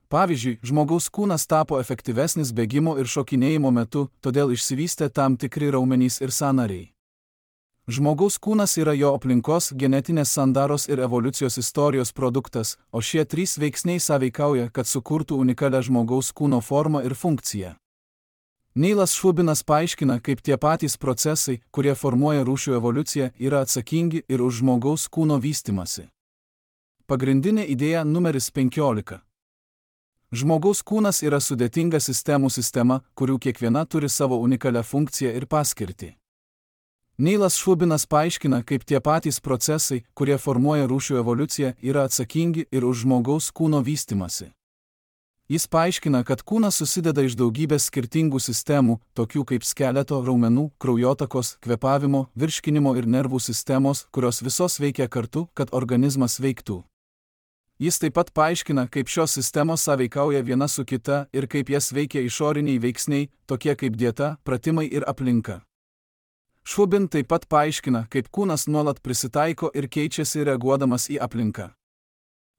Pavyzdžiui, žmogaus kūnas tapo efektyvesnis bėgimo ir šokinėjimo metu, todėl išsivystė tam tikri raumenys ir sąnariai. Žmogaus kūnas yra jo aplinkos, genetinės sandaros ir evoliucijos istorijos produktas, o šie trys veiksniai sąveikauja, kad sukurtų unikalią žmogaus kūno formą ir funkciją. Neilas Šubinas paaiškina, kaip tie patys procesai, kurie formuoja rūšių evoliuciją, yra atsakingi ir už žmogaus kūno vystymasi. Pagrindinė idėja numeris penkiolika. Žmogaus kūnas yra sudėtinga sistemų sistema, kurių kiekviena turi savo unikalią funkciją ir paskirtį. Neilas Šubinas paaiškina, kaip tie patys procesai, kurie formuoja rūšių evoliuciją, yra atsakingi ir už žmogaus kūno vystymasi. Jis paaiškina, kad kūnas susideda iš daugybės skirtingų sistemų, tokių kaip skeleto, raumenų, kraujotakos, kvėpavimo, virškinimo ir nervų sistemos, kurios visos veikia kartu, kad organizmas veiktų. Jis taip pat paaiškina, kaip šios sistemos sąveikauja viena su kita ir kaip jas veikia išoriniai veiksniai, tokie kaip dieta, pratimai ir aplinka. Šubin taip pat paaiškina, kaip kūnas nuolat prisitaiko ir keičiasi reaguodamas į aplinką.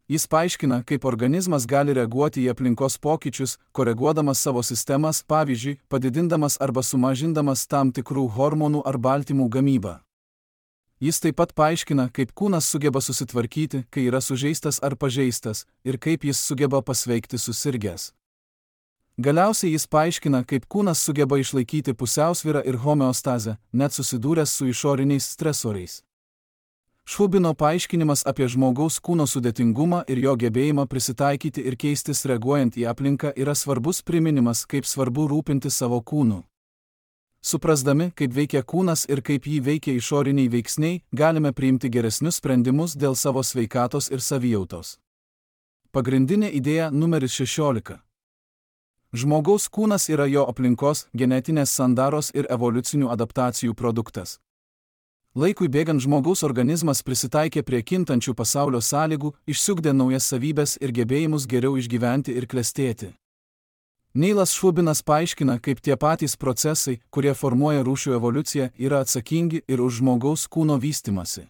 Jis paaiškina, kaip organizmas gali reaguoti į aplinkos pokyčius, koreguodamas savo sistemas, pavyzdžiui, padidindamas arba sumažindamas tam tikrų hormonų ar baltymų gamybą. Jis taip pat paaiškina, kaip kūnas sugeba susitvarkyti, kai yra sužeistas ar pažeistas, ir kaip jis sugeba pasveikti susirgęs. Galiausiai jis paaiškina, kaip kūnas sugeba išlaikyti pusiausvyrą ir homeostazę, net susidūręs su išoriniais stresoriais. Šubino paaiškinimas apie žmogaus kūno sudėtingumą ir jo gebėjimą prisitaikyti ir keistis reaguojant į aplinką yra svarbus priminimas, kaip svarbu rūpinti savo kūnu. Suprasdami, kaip veikia kūnas ir kaip jį veikia išoriniai veiksniai, galime priimti geresnius sprendimus dėl savo sveikatos ir savijautos. Pagrindinė idėja numeris šešiolika. Žmogaus kūnas yra jo aplinkos, genetinės sandaros ir evoliucinių adaptacijų produktas. Laikui bėgant žmogaus organizmas prisitaikė prie kintančių pasaulio sąlygų, išsiugdė naujas savybes ir gebėjimus geriau išgyventi ir klestėti. Neilas Šubinas paaiškina, kaip tie patys procesai, kurie formuoja rūšių evoliuciją, yra atsakingi ir už žmogaus kūno vystymasi.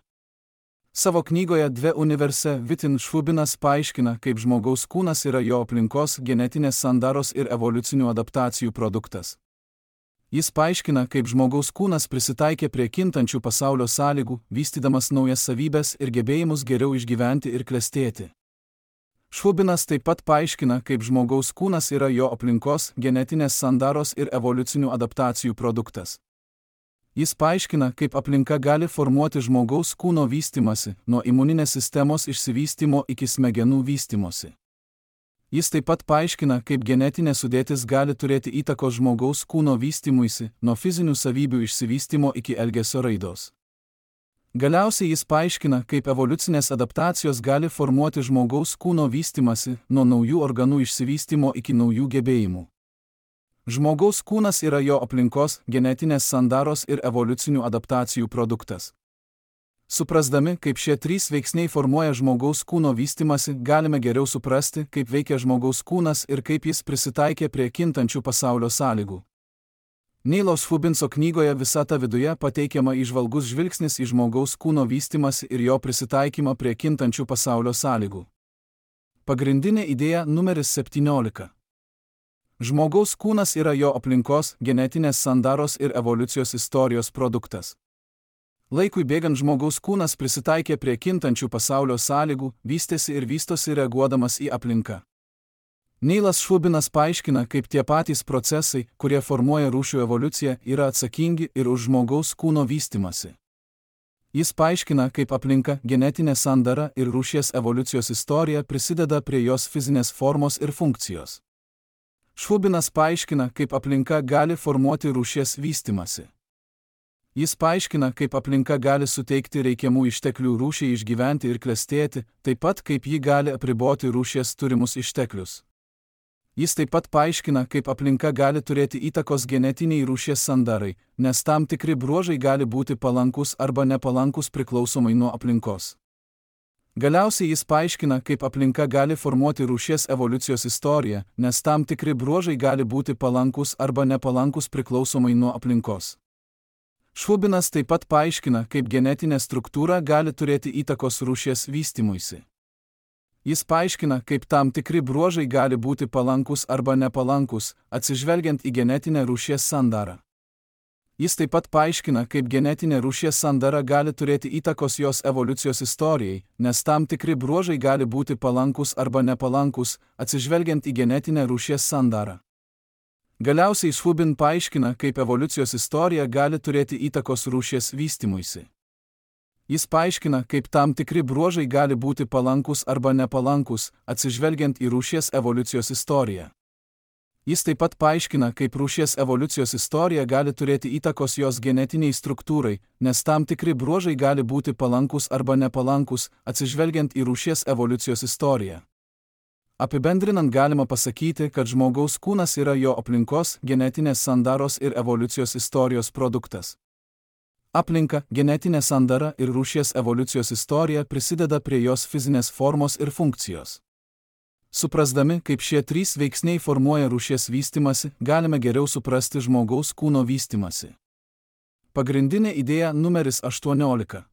Savo knygoje Dve universe Vitin Šubinas paaiškina, kaip žmogaus kūnas yra jo aplinkos, genetinės sandaros ir evoliucinių adaptacijų produktas. Jis paaiškina, kaip žmogaus kūnas prisitaikė prie kintančių pasaulio sąlygų, vystydamas naujas savybes ir gebėjimus geriau išgyventi ir klestėti. Šubinas taip pat paaiškina, kaip žmogaus kūnas yra jo aplinkos, genetinės sandaros ir evoliucinių adaptacijų produktas. Jis paaiškina, kaip aplinka gali formuoti žmogaus kūno vystymasi, nuo imuninės sistemos išsivystymo iki smegenų vystymosi. Jis taip pat paaiškina, kaip genetinė sudėtis gali turėti įtakos žmogaus kūno vystymuisi, nuo fizinių savybių išsivystymo iki elgesio raidos. Galiausiai jis paaiškina, kaip evoliucinės adaptacijos gali formuoti žmogaus kūno vystymasi, nuo naujų organų išsivystymo iki naujų gebėjimų. Žmogaus kūnas yra jo aplinkos, genetinės sandaros ir evoliucinių adaptacijų produktas. Suprasdami, kaip šie trys veiksniai formuoja žmogaus kūno vystymasi, galime geriau suprasti, kaip veikia žmogaus kūnas ir kaip jis prisitaikė prie kintančių pasaulio sąlygų. Neilo Šubinso knygoje Visata viduje pateikiama įžvalgus žvilgsnis į žmogaus kūno vystymasi ir jo prisitaikymą prie kintančių pasaulio sąlygų. Pagrindinė idėja numeris septyniolika. Žmogaus kūnas yra jo aplinkos, genetinės sandaros ir evoliucijos istorijos produktas. Laikui bėgant žmogaus kūnas prisitaikė prie kintančių pasaulio sąlygų, vystėsi ir vystosi reaguodamas į aplinką. Neilas Šubinas paaiškina, kaip tie patys procesai, kurie formuoja rūšių evoliuciją, yra atsakingi ir už žmogaus kūno vystymasi. Jis paaiškina, kaip aplinka, genetinė sandara ir rūšies evoliucijos istorija prisideda prie jos fizinės formos ir funkcijos. Švubinas paaiškina, kaip aplinka gali formuoti rūšies vystymąsi. Jis paaiškina, kaip aplinka gali suteikti reikiamų išteklių rūšiai išgyventi ir klestėti, taip pat kaip ji gali apriboti rūšies turimus išteklius. Jis taip pat paaiškina, kaip aplinka gali turėti įtakos genetiniai rūšies sandarai, nes tam tikri bruožai gali būti palankus arba nepalankus priklausomai nuo aplinkos. Galiausiai jis paaiškina, kaip aplinka gali formuoti rūšies evoliucijos istoriją, nes tam tikri bruožai gali būti palankus arba nepalankus priklausomai nuo aplinkos. Švubinas taip pat paaiškina, kaip genetinė struktūra gali turėti įtakos rūšies vystymuisi. Jis paaiškina, kaip tam tikri bruožai gali būti palankus arba nepalankus, atsižvelgiant į genetinę rūšies sandarą. Jis taip pat paaiškina, kaip genetinė rūšies sandara gali turėti įtakos jos evoliucijos istorijai, nes tam tikri bruožai gali būti palankus arba nepalankus, atsižvelgiant į genetinę rūšies sandarą. Galiausiai Švubin paaiškina, kaip evoliucijos istorija gali turėti įtakos rūšies vystymuisi. Jis paaiškina, kaip tam tikri bruožai gali būti palankus arba nepalankus, atsižvelgiant į rūšies evoliucijos istoriją. Jis taip pat paaiškina, kaip rūšies evoliucijos istorija gali turėti įtakos jos genetiniai struktūrai, nes tam tikri bruožai gali būti palankus arba nepalankus, atsižvelgiant į rūšies evoliucijos istoriją. Apibendrinant galima pasakyti, kad žmogaus kūnas yra jo aplinkos, genetinės sandaros ir evoliucijos istorijos produktas. Aplinka, genetinė sandara ir rūšies evoliucijos istorija prisideda prie jos fizinės formos ir funkcijos. Suprasdami, kaip šie trys veiksniai formuoja rūšies vystymąsi, galime geriau suprasti žmogaus kūno vystymąsi. Pagrindinė idėja numeris aštuoniolika.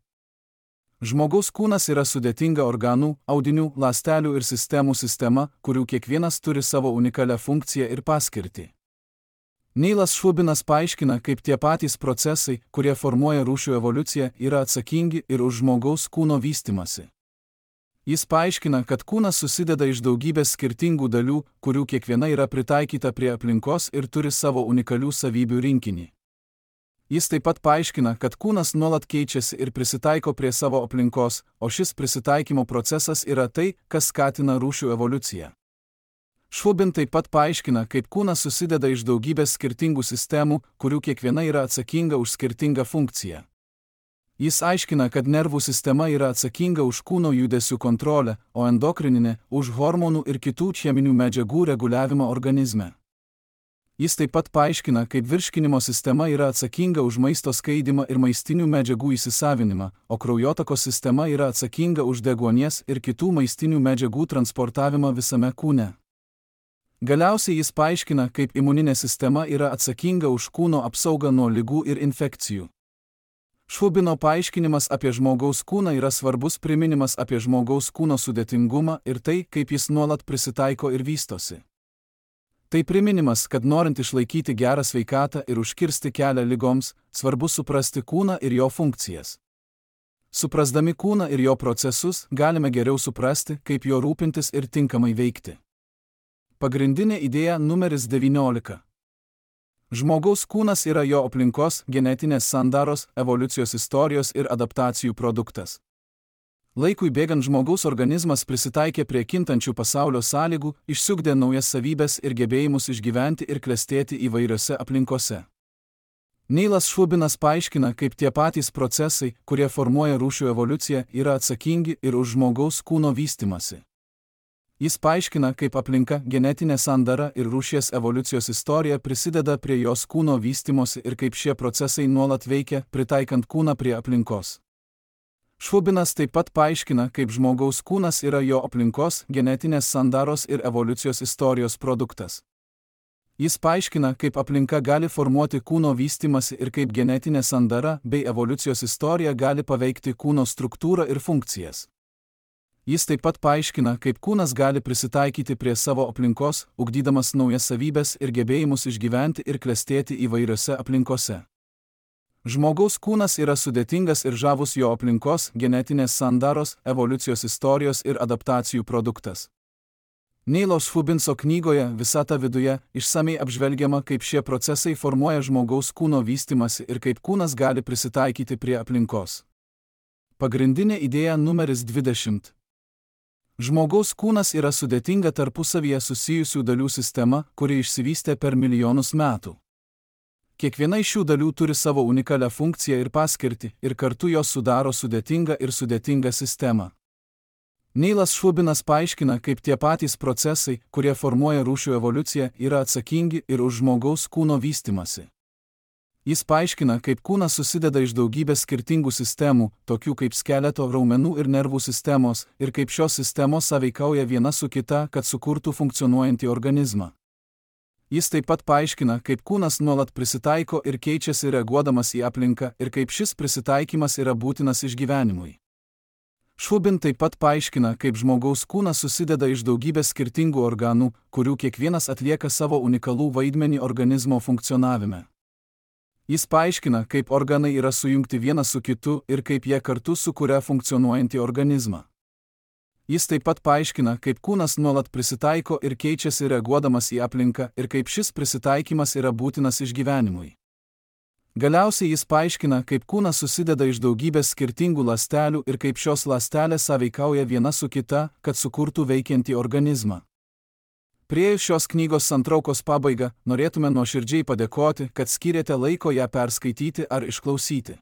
Žmogaus kūnas yra sudėtinga organų, audinių, ląstelių ir sistemų sistema, kurių kiekvienas turi savo unikalią funkciją ir paskirtį. Neilas Švubinas paaiškina, kaip tie patys procesai, kurie formuoja rūšių evoliuciją, yra atsakingi ir už žmogaus kūno vystymąsi. Jis paaiškina, kad kūnas susideda iš daugybės skirtingų dalių, kurių kiekviena yra pritaikyta prie aplinkos ir turi savo unikalių savybių rinkinį. Jis taip pat paaiškina, kad kūnas nuolat keičiasi ir prisitaiko prie savo aplinkos, o šis prisitaikymo procesas yra tai, kas skatina rūšių evoliuciją. Švubin taip pat paaiškina, kaip kūnas susideda iš daugybės skirtingų sistemų, kurių kiekviena yra atsakinga už skirtingą funkciją. Jis aiškina, kad nervų sistema yra atsakinga už kūno judesių kontrolę, o endokrininė – už hormonų ir kitų cheminių medžiagų reguliavimą organizme. Jis taip pat paaiškina, kaip virškinimo sistema yra atsakinga už maisto skaidymą ir maistinių medžiagų įsisavinimą, o kraujotakos sistema yra atsakinga už deguonies ir kitų maistinių medžiagų transportavimą visame kūne. Galiausiai jis paaiškina, kaip imuninė sistema yra atsakinga už kūno apsaugą nuo ligų ir infekcijų. Švubino paaiškinimas apie žmogaus kūną yra svarbus priminimas apie žmogaus kūno sudėtingumą ir tai, kaip jis nuolat prisitaiko ir vystosi. Tai priminimas, kad norint išlaikyti gerą sveikatą ir užkirsti kelią ligoms, svarbu suprasti kūną ir jo funkcijas. Suprasdami kūną ir jo procesus, galime geriau suprasti, kaip jo rūpintis ir tinkamai veikti. Pagrindinė idėja numeris devyniolika. Žmogaus kūnas yra jo aplinkos, genetinės sandaros, evoliucijos istorijos ir adaptacijų produktas. Laikui bėgant žmogaus organizmas prisitaikė prie kintančių pasaulio sąlygų, išsiugdė naujas savybes ir gebėjimus išgyventi ir klestėti įvairiose aplinkose. Neilas Švubinas paaiškina, kaip tie patys procesai, kurie formuoja rūšių evoliuciją, yra atsakingi ir už žmogaus kūno vystymąsi. Jis paaiškina, kaip aplinka, genetinė sandara ir rūšies evoliucijos istorija prisideda prie jos kūno vystymosi ir kaip šie procesai nuolat veikia, pritaikant kūną prie aplinkos. Švubinas taip pat paaiškina, kaip žmogaus kūnas yra jo aplinkos, genetinės sandaros ir evoliucijos istorijos produktas. Jis paaiškina, kaip aplinka gali formuoti kūno vystymąsi ir kaip genetinė sandara bei evoliucijos istorija gali paveikti kūno struktūrą ir funkcijas. Jis taip pat paaiškina, kaip kūnas gali prisitaikyti prie savo aplinkos, ugdydamas naujas savybes ir gebėjimus išgyventi ir klestėti įvairiose aplinkose. Žmogaus kūnas yra sudėtingas ir žavus jo aplinkos, genetinės sandaros, evoliucijos istorijos ir adaptacijų produktas. Neilo Švubinso knygoje Visata viduje išsamei apžvelgiama, kaip šie procesai formuoja žmogaus kūno vystymąsi ir kaip kūnas gali prisitaikyti prie aplinkos. Pagrindinė idėja numeris dvidešimt. Žmogaus kūnas yra sudėtinga tarpusavyje susijusių dalių sistema, kuri išsivystė per milijonus metų. Kiekviena iš šių dalių turi savo unikalią funkciją ir paskirtį, ir kartu jos sudaro sudėtingą ir sudėtingą sistemą. Neilas Šubinas paaiškina, kaip tie patys procesai, kurie formuoja rūšių evoliuciją, yra atsakingi ir už žmogaus kūno vystymasi. Jis paaiškina, kaip kūnas susideda iš daugybės skirtingų sistemų, tokių kaip skeleto, raumenų ir nervų sistemos, ir kaip šios sistemos sąveikauja viena su kita, kad sukurtų funkcionuojantį organizmą. Jis taip pat paaiškina, kaip kūnas nuolat prisitaiko ir keičiasi reaguodamas į aplinką ir kaip šis prisitaikymas yra būtinas išgyvenimui. Šubin taip pat paaiškina, kaip žmogaus kūnas susideda iš daugybės skirtingų organų, kurių kiekvienas atlieka savo unikalų vaidmenį organizmo funkcionavime. Jis paaiškina, kaip organai yra sujungti vienas su kitu ir kaip jie kartu sukuria funkcionuojantį organizmą. Jis taip pat paaiškina, kaip kūnas nuolat prisitaiko ir keičiasi reaguodamas į aplinką ir kaip šis prisitaikymas yra būtinas išgyvenimui. Galiausiai jis paaiškina, kaip kūnas susideda iš daugybės skirtingų ląstelių ir kaip šios ląstelės sąveikauja viena su kita, kad sukurtų veikiantį organizmą. Priėjus šios knygos santraukos pabaigą, norėtume nuoširdžiai padėkoti, kad skyrėte laiko ją perskaityti ar išklausyti.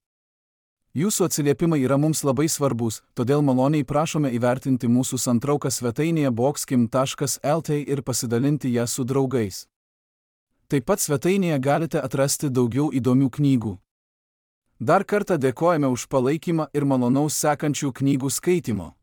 Jūsų atsiliepimai yra mums labai svarbus, todėl maloniai prašome įvertinti mūsų santrauką svetainėje boxkim taškas lt ir pasidalinti ją su draugais. Taip pat svetainėje galite atrasti daugiau įdomių knygų. Dar kartą dėkojame už palaikymą ir malonaus sekančių knygų skaitimo.